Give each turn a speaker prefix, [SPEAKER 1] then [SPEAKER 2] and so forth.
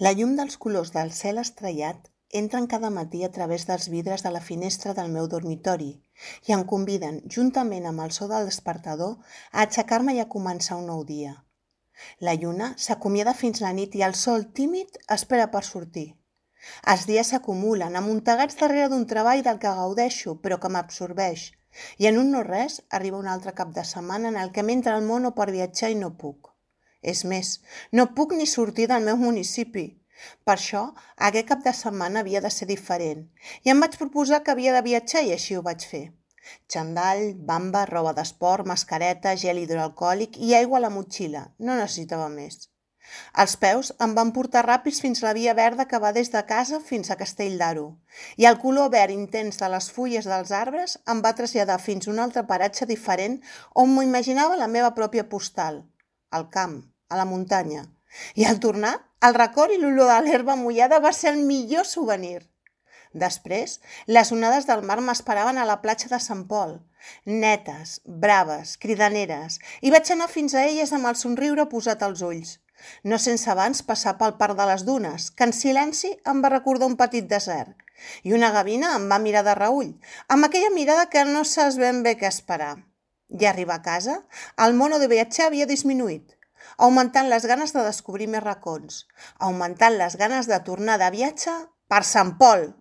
[SPEAKER 1] La llum dels colors del cel estrellat entren cada matí a través dels vidres de la finestra del meu dormitori i em conviden, juntament amb el so del despertador, a aixecar-me i a començar un nou dia. La lluna s'acomiada fins la nit i el sol tímid espera per sortir. Els dies s'acumulen, amuntegats darrere d'un treball del que gaudeixo, però que m'absorbeix, i en un no res arriba un altre cap de setmana en el que m'entra el mono per viatjar i no puc. És més, no puc ni sortir del meu municipi. Per això, aquest cap de setmana havia de ser diferent i em vaig proposar que havia de viatjar i així ho vaig fer. Xandall, bamba, roba d'esport, mascareta, gel hidroalcohòlic i aigua a la motxilla. No necessitava més. Els peus em van portar ràpids fins a la via verda que va des de casa fins a Castell d'Aro i el color verd intens de les fulles dels arbres em va traslladar fins a un altre paratge diferent on m'imaginava la meva pròpia postal, al camp, a la muntanya. I al tornar, el record i l'olor de l'herba mullada va ser el millor souvenir. Després, les onades del mar m'esperaven a la platja de Sant Pol, netes, braves, cridaneres, i vaig anar fins a elles amb el somriure posat als ulls. No sense abans passar pel parc de les dunes, que en silenci em va recordar un petit desert. I una gavina em va mirar de reüll, amb aquella mirada que no saps ben bé què esperar. I arribar a casa, el mono de viatjar havia disminuït, augmentant les ganes de descobrir més racons, augmentant les ganes de tornar de viatge per Sant Pol.